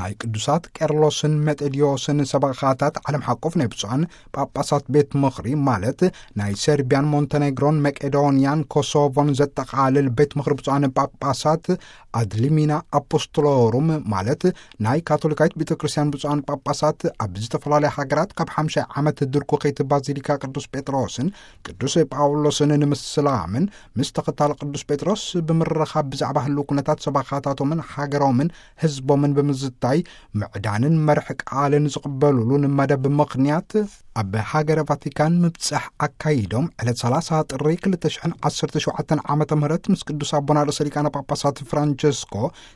ናይ ቅዱሳት ቄርሎስን ሜጤድዮስን ሰበኻታት ዓለም ሓቆፍ ናይ ብፁዓን ጳጳሳት ቤት ምኽሪ፣ ማለት ናይ ሰርቢያን ሞንተኔግሮን መቄዶንያን ኮሶቮን ዘጠቓልል ቤት ምኽሪ ብፁዓን ጳጳሳት ኣድሊሚና ኣፖስቶሎሩም፣ ማለት ናይ ካቶሊካዊት ቤተ ክርስቲያን ብፁዓን ጳጳሳት ኣብ ዝተፈላለያ ሃገራት ካብ ሓምሻይ ዓመት ድርኩኺት ባዚሊካ ቅዱስ ጴጥሮስን ቅዱስ ጳውሎስን ንምስላምን ምስ ተኸታሊ ቅዱስ ጴጥሮስ ብምርኻብ ብዛዕባ ህልው ኩነታት ሰበኻታቶምን ሃገሮምን ህዝቦምን ብምዝታይ ምዕዳንን መርሕ ቃልን ዝቕበሉሉን መደብ ምኽንያት ኣብ ሃገረ ቫቲካን ምብጻሕ ኣካይዶም ዕለት ሰላሳ ጥሪ ክልተ ሽሕን ዓሰርተ ሸውዓተን ዓመተ ምህረት ምስ ቅዱስ ኣቦና ርእሰ ሊቃነ ጳጳሳት ፍራንቸስኮ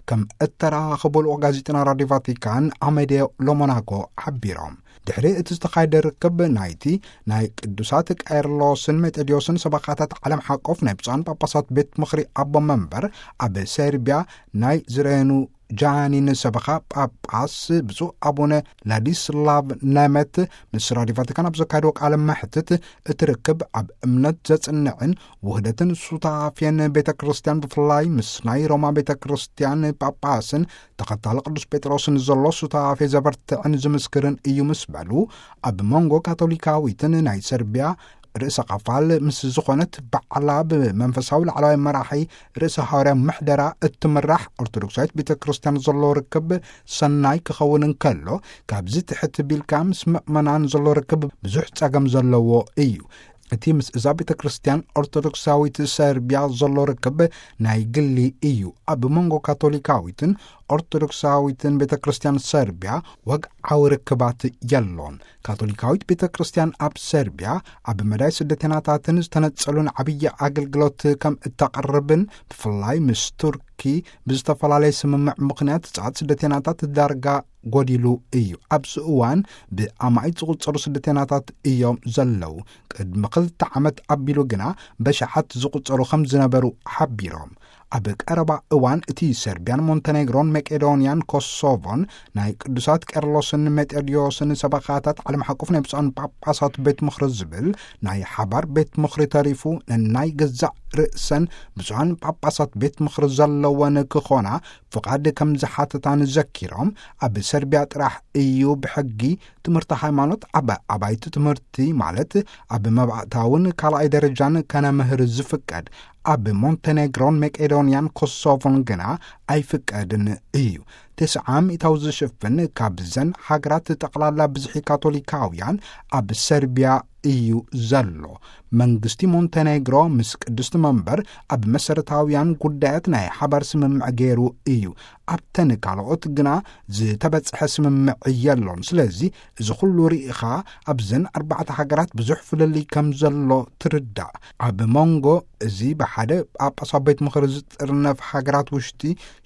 ከም እተራኸቡ ልኡኽ ጋዜጠና ራድዮ ቫቲካን ኣሜድዮ ሎሞናኮ ሓቢሮም። ድሕሪ እቲ ዝተኻየደ ርክብ ናይቲ ናይ ቅዱሳት ቄርሎስን ሜጤድዮስን ሰበኻታት ዓለም ሓቆፍ ናይ ብፁዓን ጳጳሳት ቤት ምኽሪ ኣቦ መንበር ኣብ ሰርቢያ ናይ ዝረኑ ጃኒን ሰበኻ ጳጳስ ብፁዕ ኣቡነ ላዲስላቭ ነመት ምስ ራዲዮ ቫቲካን ኣብ ዘካየድዎ ቃለ መሕትት፣ እቲ ርክብ ኣብ እምነት ዘጽንዕን ውህደትን ሱታፌን ቤተ ክርስቲያን ብፍላይ ምስ ናይ ሮማ ቤተ ክርስቲያን ጳጳስን ተኸታሊ ቅዱስ ጴጥሮስን ዘሎ ሱታፌ ዘበርትዕን ዝምስክርን እዩ ምስ በሉ፣ ኣብ መንጎ ካቶሊካዊትን ናይ ሰርቢያ ርእሰ ቐፋል ምስ ዝኾነት ባዕላ ብመንፈሳዊ ላዕለዋይ መራሒ ርእሰ ሃዋርያ ምሕደራ እትምራሕ ኦርቶዶክሳዊት ቤተ ክርስቲያን ዘሎ ርክብ ሰናይ ክኸውን እንከሎ፣ ካብዚ ትሕት ቢልካ ምስ ምእመናን ዘሎ ርክብ ብዙሕ ጸገም ዘለዎ እዩ። እቲ ምስ እዛ ቤተ ክርስቲያን ኦርቶዶክሳዊት ሰርቢያ ዘሎ ርክብ ናይ ግሊ እዩ። ኣብ መንጎ ካቶሊካዊትን ኦርቶዶክሳዊትን ቤተ ክርስቲያን ሰርቢያ ወግዓዊ ርክባት የሎን። ካቶሊካዊት ቤተ ክርስቲያን ኣብ ሰርቢያ ኣብ መዳይ ስደተናታትን ዝተነጸሉን ዓብዪ ኣገልግሎት ከም እተቕርብን፣ ብፍላይ ምስ ቱርኪ ብዝተፈላለየ ስምምዕ ምኽንያት ጻት ስደተናታት ዳርጋ ጎዲሉ እዩ። ኣብዚ እዋን ብኣማኢት ዝቑጸሩ ስደተናታት እዮም ዘለዉ። ቅድሚ ክልተ ዓመት ኣቢሉ ግና በሽሓት ዝቑጸሩ ከም ዝነበሩ ሓቢሮም። ኣብ ቀረባ እዋን እቲ ሰርቢያን ሞንተኔግሮን መቄዶንያን ኮሶቮን ናይ ቅዱሳት ቄርሎስን ሜጤድዮስን ሰበኻታት ዓለም ሓቆፍ ናይ ብፁዓን ጳጳሳት ቤት ምኽሪ ዝብል ናይ ሓባር ቤት ምኽሪ ተሪፉ፣ ነናይ ገዛእ ርእሰን ብፁዓን ጳጳሳት ቤት ምኽሪ ዘለወን ክኾና ፍቓድ ከም ዝሓተታን ዘኪሮም፣ ኣብ ሰርቢያ ጥራሕ እዩ ብሕጊ ትምህርቲ ሃይማኖት ኣብ ኣባይቲ ትምህርቲ፣ ማለት ኣብ መባእታውን ካልኣይ ደረጃን ከነምህር ዝፍቀድ። ኣብ ሞንተኔግሮን መቄዶንያን ኮሶቮን ግና ኣይፍቀድን እዩ። ተስዓ ሚእታዊ ዝሽፍን ካብዘን ሃገራት ጠቕላላ ብዝሒ ካቶሊካውያን ኣብ ሰርቢያ እዩ ዘሎ። መንግስቲ ሞንተኔግሮ ምስ ቅድስቲ መንበር ኣብ መሰረታውያን ጉዳያት ናይ ሓባር ስምምዕ ገይሩ እዩ። ኣብተን ካልኦት ግና ዝተበጽሐ ስምምዕ የሎን። ስለዚ እዚ ኩሉ ርኢኻ ኣብዘን ኣርባዕተ ሃገራት ብዙሕ ፍልልይ ከም ዘሎ ትርዳእ። ኣብ መንጎ እዚ ብሓደ ጳጳሳዊ ቤት ምኽሪ ዝጥርነፍ ሃገራት ውሽጢ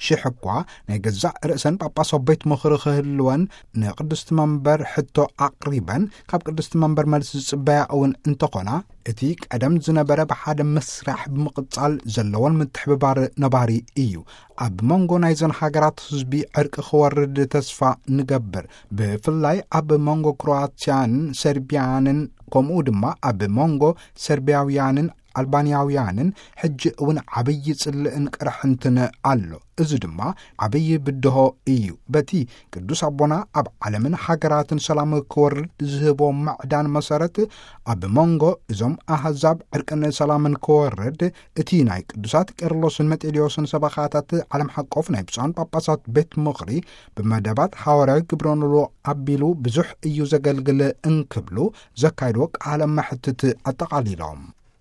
ሽሕ እኳ ናይ ገዛእ ርእሰን ጳጳሳዊ ቤት ምኽሪ ክህልወን ንቅድስቲ መንበር ሕቶ ኣቕሪበን ካብ ቅድስቲ መንበር መልሲ ዝጽበያ እውን እንተኾና፣ እቲ ቀደም ዝነበረ ብሓደ ምስራሕ ብምቕጻል ዘለዎን ምትሕብባር ነባሪ እዩ። ኣብ መንጎ ናይዘን ሃገራት ህዝቢ ዕርቂ ክወርድ ተስፋ ንገብር። ብፍላይ ኣብ መንጎ ክሮኣትያን ሰርቢያንን ከምኡ ድማ ኣብ መንጎ ሰርቢያውያንን ኣልባንያውያንን ሕጂ እውን ዓብዪ ጽልእን ቅርሕንትን ኣሎ። እዚ ድማ ዓብዪ ብድሆ እዩ። በቲ ቅዱስ ኣቦና ኣብ ዓለምን ሃገራትን ሰላም ክወርድ ዝህቦ ምዕዳን መሰረት፣ ኣብ መንጎ እዞም ኣህዛብ ዕርቅን ሰላምን ክወርድ፣ እቲ ናይ ቅዱሳት ቄርሎስን መጤድዮስን ሰበኻታት ዓለም ሓቆፍ ናይ ብፁዓን ጳጳሳት ቤት ምኽሪ ብመደባት ሃዋርያዊ ግብረ ኖልዎ ኣቢሉ ብዙሕ እዩ ዘገልግል እንክብሉ ዘካይድዎ ቃለ መሕትት ኣጠቓሊሎም።